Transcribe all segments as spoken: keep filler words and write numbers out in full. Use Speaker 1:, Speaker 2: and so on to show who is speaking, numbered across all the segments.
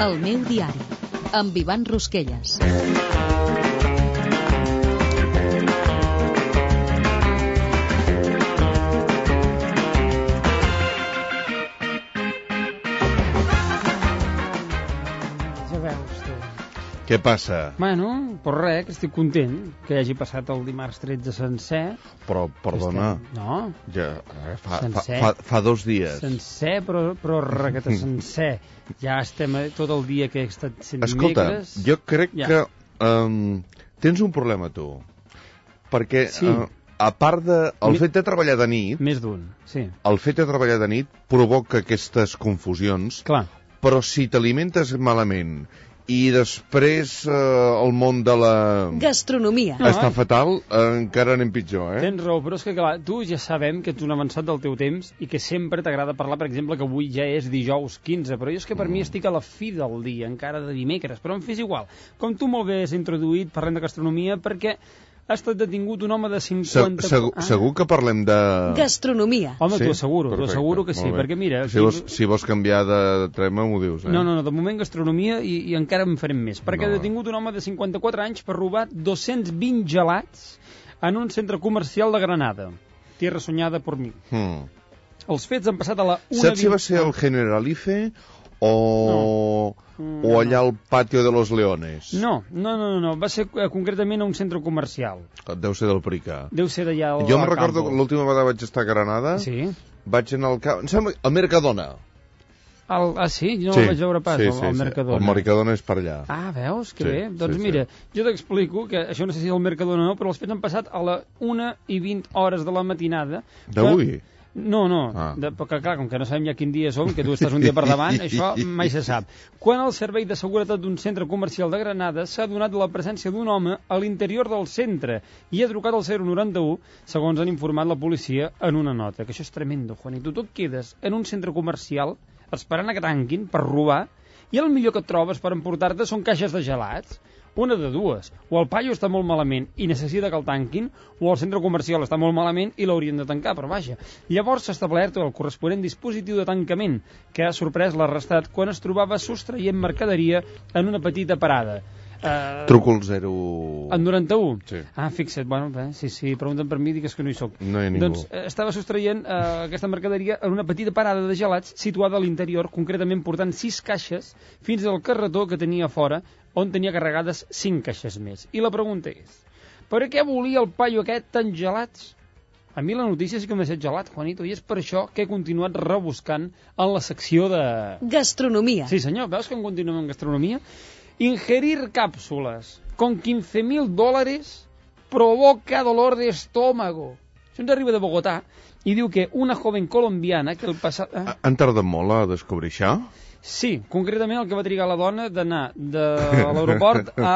Speaker 1: El meu diari, amb Ivan Rosquelles.
Speaker 2: Què passa?
Speaker 3: Bueno, per res, que estic content que hagi passat el dimarts tretze sencer.
Speaker 2: Però, perdona...
Speaker 3: Estem... No?
Speaker 2: Ja, fa, fa, fa, fa dos dies.
Speaker 3: Sencer, però, però requete sencer. Ja estem tot el dia que he estat sent
Speaker 2: Escolta,
Speaker 3: dimecres.
Speaker 2: jo crec
Speaker 3: ja.
Speaker 2: que um, tens un problema, tu. Perquè, sí. uh, a part de... El Mi... fet de treballar de nit...
Speaker 3: Més d'un, sí.
Speaker 2: El fet de treballar de nit provoca aquestes confusions.
Speaker 3: Clar.
Speaker 2: Però si t'alimentes malament... I després eh, el món de la...
Speaker 1: Gastronomia.
Speaker 2: No, està fatal, eh, encara anem pitjor, eh?
Speaker 3: Tens raó, però és que clar, tu ja sabem que ets un avançat del teu temps i que sempre t'agrada parlar, per exemple, que avui ja és dijous quinze, però jo és que per mm. mi estic a la fi del dia, encara de dimecres, però em fes igual. Com tu molt bé has introduït, parlem de gastronomia, perquè ha estat detingut un home de cinquanta...
Speaker 2: Se, segur, ah. segur que parlem de...
Speaker 1: Gastronomia.
Speaker 3: Home,
Speaker 2: sí?
Speaker 3: t'ho asseguro, t'ho asseguro que sí, perquè mira...
Speaker 2: Si vols, si vols canviar de tema, m'ho dius, eh?
Speaker 3: No, no, no, de moment gastronomia i, i encara en farem més, perquè no. ha detingut un home de cinquanta-quatre anys per robar dos-cents vint gelats en un centre comercial de Granada. Tierra soñada por mi.
Speaker 2: Hmm.
Speaker 3: Els fets han passat a la una...
Speaker 2: Saps si va ser el Generalife o... No. O allà al Patio de los Leones?
Speaker 3: No, no, no, no, va ser eh, concretament a un centre comercial.
Speaker 2: Deu ser del Prica.
Speaker 3: Deu ser d'allà al
Speaker 2: Jo em recordo que l'última vegada vaig estar a Granada,
Speaker 3: sí.
Speaker 2: vaig anar al camp, em sembla, al Mercadona.
Speaker 3: El, ah, sí? Jo no
Speaker 2: sí,
Speaker 3: el vaig veure pas,
Speaker 2: sí,
Speaker 3: el,
Speaker 2: sí,
Speaker 3: el Mercadona.
Speaker 2: Sí. El Mercadona és per allà.
Speaker 3: Ah, veus? Que
Speaker 2: sí,
Speaker 3: bé. Doncs
Speaker 2: sí,
Speaker 3: mira,
Speaker 2: sí.
Speaker 3: jo t'explico que això no sé si és el Mercadona o no, però els fets han passat a la una i vint hores de la matinada.
Speaker 2: D'avui?
Speaker 3: Que... No, no,
Speaker 2: ah.
Speaker 3: de, perquè clar, com que no sabem ja quin dia som, que tu estàs un dia per davant, això mai se sap. Quan el servei de seguretat d'un centre comercial de Granada s'ha donat la presència d'un home a l'interior del centre i ha trucat al zero noranta u, segons han informat la policia en una nota. Que això és tremendo, Juanito. Tu et quedes en un centre comercial esperant a que tanquin per robar i el millor que et trobes per emportar-te són caixes de gelats. Una de dues, o el paio està molt malament i necessita que el tanquin, o el centre comercial està molt malament i l'haurien de tancar, però vaja. Llavors s'ha establert el corresponent dispositiu de tancament, que ha sorprès l'arrestat quan es trobava sostraient mercaderia en una petita parada. Uh,
Speaker 2: Truco el zero...
Speaker 3: En noranta-u?
Speaker 2: Sí.
Speaker 3: Ah, fixa't, bueno, bé, sí, sí, pregunten per mi, digues que no hi soc.
Speaker 2: No hi ha ningú.
Speaker 3: Doncs eh, estava sostraient uh, aquesta mercaderia en una petita parada de gelats situada a l'interior, concretament portant sis caixes fins al carretó que tenia a fora, on tenia carregades cinc caixes més. I la pregunta és, per què volia el paio aquest tan gelats? A mi la notícia sí que m'ha deixat gelat, Juanito, i és per això que he continuat rebuscant en la secció de...
Speaker 1: Gastronomia.
Speaker 3: Sí, senyor, veus que en continuem en gastronomia? Ingerir cápsulas con quince mil dólares provoca dolor de estómago. Això ens arriba de Bogotà i diu que una joven colombiana que el passat... Eh?
Speaker 2: Han tardat molt a descobrir això?
Speaker 3: Sí, concretament el que va trigar la dona d'anar de l'aeroport a,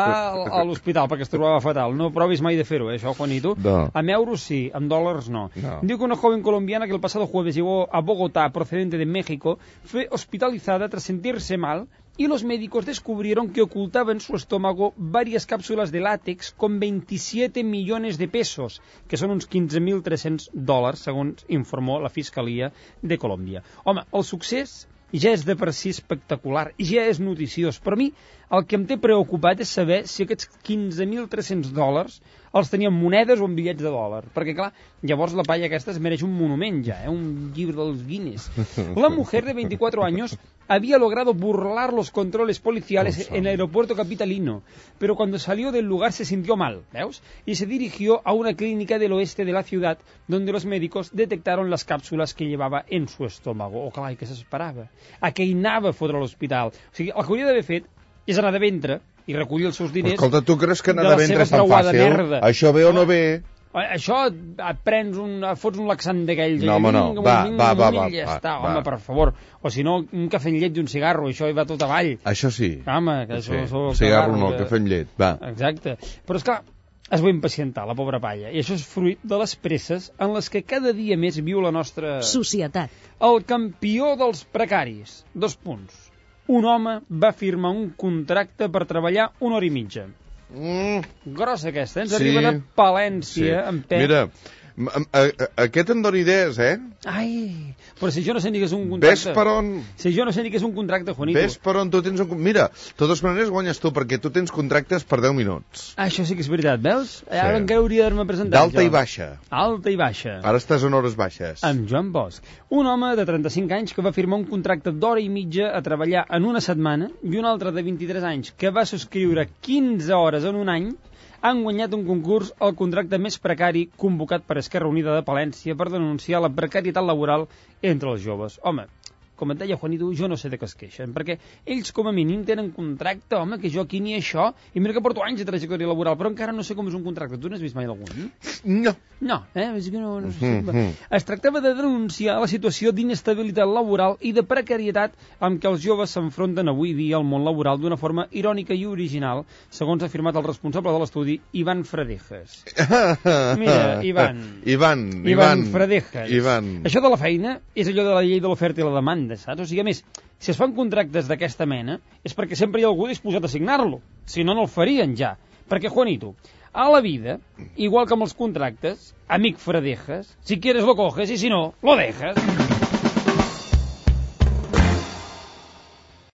Speaker 3: a l'hospital perquè es trobava fatal. No provis mai de fer-ho, eh, això, Juanito.
Speaker 2: No.
Speaker 3: En euros sí, en dólares no.
Speaker 2: no.
Speaker 3: Diu que una joven colombiana que el pasado jueves llegó a Bogotá procedente de México fue hospitalizada tras sentirse mal y los médicos descubrieron que ocultaba en su estómago varias cápsulas de látex con veintisiete millones de pesos, que són uns quinze mil tres-cents dòlars, segons informó la Fiscalia de Colòmbia. Home, el succés ja és de per si espectacular, ja és noticiós, però a mi el que em té preocupat és saber si aquests quinze mil tres-cents dòlars els tenien monedes o en bitllets de dòlar, perquè clar, llavors la palla aquesta es mereix un monument ja, eh? Un llibre dels Guinness. La mujer de veinticuatro años había logrado burlar los controles policiales en el aeropuerto capitalino, pero cuando salió del lugar se sintió mal, ¿veus? Y se dirigió a una clínica del oeste de la ciudad, donde los médicos detectaron las cápsulas que llevaba en su estómago. Oh, clar, i què s'esperava? A què hi anava a fotre a l'hospital? O sigui, el que hauria d'haver fet és anar de ventre i recollir els seus diners.
Speaker 2: Escolta, tu creus que anar de, de ventre és tan fàcil?
Speaker 3: Merda.
Speaker 2: Això ve o no ve?
Speaker 3: Això et prens un... fots un laxant d'aquells.
Speaker 2: No, home, no. Va, va, va, va.
Speaker 3: Ja està, home, per favor. O si no, un cafè amb llet i un cigarro, això hi va tot avall.
Speaker 2: Això sí.
Speaker 3: Home, que això...
Speaker 2: Sí. El cigarro no, el cafè amb llet, va.
Speaker 3: Exacte. Però és clar, es va impacientar, la pobra palla. I això és fruit de les presses en les que cada dia més viu la nostra...
Speaker 1: societat.
Speaker 3: El campió dels precaris. Dos punts. Un home va firmar un contracte per treballar una hora i mitja.
Speaker 2: Mm.
Speaker 3: Grossa aquesta, eh? Ens
Speaker 2: sí.
Speaker 3: arriba de Palència, sí. En Pep.
Speaker 2: Mira, Aquest em dóna idees, eh?
Speaker 3: Ai, però si jo no sé ni què és un contracte...
Speaker 2: Ves per on...
Speaker 3: Si jo no sé ni què és un contracte, Juanito.
Speaker 2: Ves per on tu tens un... Mira, de totes maneres guanyes tu, perquè tu tens contractes per deu minuts.
Speaker 3: Ah, això sí que és veritat, veus?
Speaker 2: Sí.
Speaker 3: Ara encara hauria d'haver-me presentat.
Speaker 2: D'alta
Speaker 3: jo.
Speaker 2: i baixa.
Speaker 3: Alta i baixa.
Speaker 2: Ara estàs en hores baixes.
Speaker 3: Amb Joan Bosch, un home de trenta-cinc anys que va firmar un contracte d'hora i mitja a treballar en una setmana i un altre de vint-i-tres anys que va subscriure quinze hores en un any han guanyat un concurs al contracte més precari convocat per Esquerra Unida de Palència per denunciar la precarietat laboral entre els joves. Home, com et deia Juanito, jo no sé de què es queixen, perquè ells com a mínim tenen contracte, home, que jo aquí ni això, i mira que porto anys de trajectòria laboral, però encara no sé com és un contracte. Tu n'has vist mai algun?
Speaker 2: No.
Speaker 3: No, eh? És que no, no sé.
Speaker 2: Mm -hmm.
Speaker 3: Es tractava de denunciar la situació d'inestabilitat laboral i de precarietat amb què els joves s'enfronten avui dia al món laboral d'una forma irònica i original, segons ha afirmat el responsable de l'estudi, Ivan Fradejas. Mira, Ivan.
Speaker 2: Ivan, Ivan.
Speaker 3: Ivan Fradejas.
Speaker 2: Ivan.
Speaker 3: Això de la feina és allò de la llei de l'oferta i la demanda, saps? O sigui, a més, si es fan contractes d'aquesta mena és perquè sempre hi ha algú disposat a signar-lo. Si no, no el farien ja. Perquè, Juanito, a la vida, igual que amb els contractes, amic Fradejas, si quieres lo coges y si no, lo dejas.